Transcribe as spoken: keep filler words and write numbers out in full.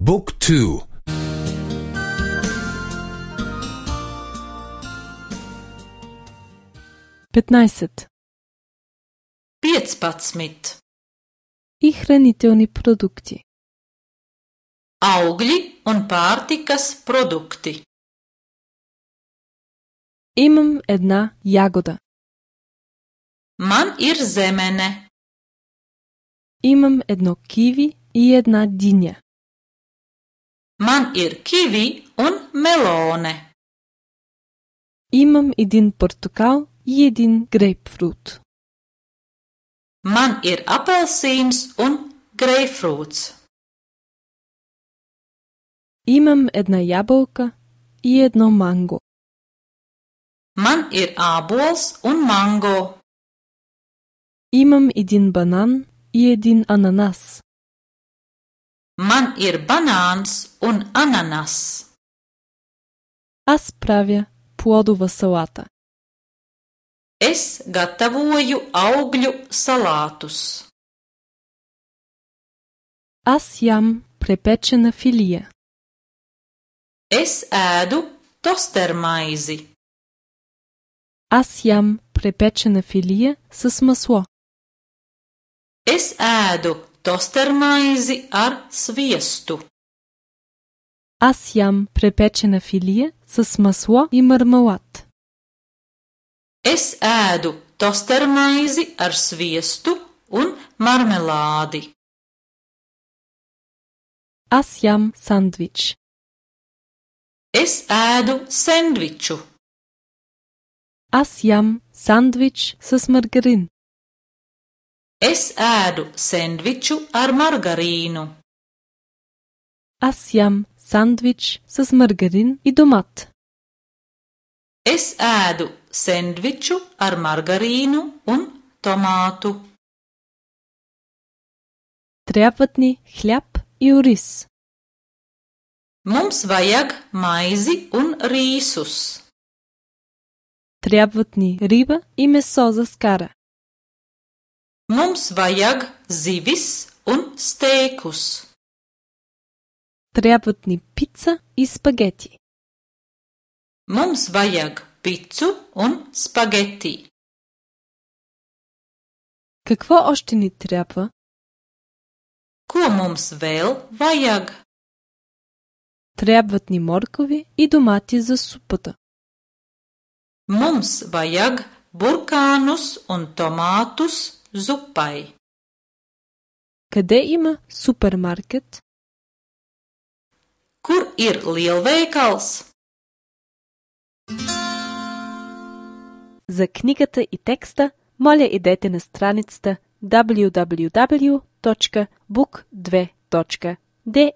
Book two. петнайсет. piecpadsmit. И хранителни продукти. Augļi un pārtikas produkti. Имам една ягода. Man ir zemene. Имам едно киви и една диня. Man ir kivi un melone. Имам един портокал и един грейпфрут. Man ir apelsīns un greifrūts. Имам една ябълка и едно манго. Man ir ābols un mango. Имам един банан и един ананас. Man ir banāns un ananas. Аз правя плодова салата. Es gatavoju augļu salātus. Аз ям препечена филия. Es ēdu tostermaizi. Аз ям препечена филия с масло. Es ēdu tostermaizi ar sviestu. Аз ям препечена филия с масло и мармелад. Es ēdu tostermaizi ar sviestu un marmelādi. Аз ям сандвич. Es ēdu sendviču. Аз ям сандвич с маргарин. Es ēdu sendviču ar margarīnu. Аз ям сандвич с маргарин и домат. Es ēdu sendviču ar margarīnu un tomātu. Трябват ни хляб и ориз. Mums vajag maizi un rīsus. Трябват ни риба и месо за скара. Mums vajag zivis un steikus. Трябват ни пица и спагети. Mums vajag picu un spageti. Какво още ни трябва? Ko mums vēl vajag? Трябват ни моркови и домати за супата. Mums vajag burkānus un tomātus zupai. Къде има супермаркет? Kur ir lielveikals? За книгата и текста, моля идете на страницата дабълю дабълю дабълю точка бук две точка де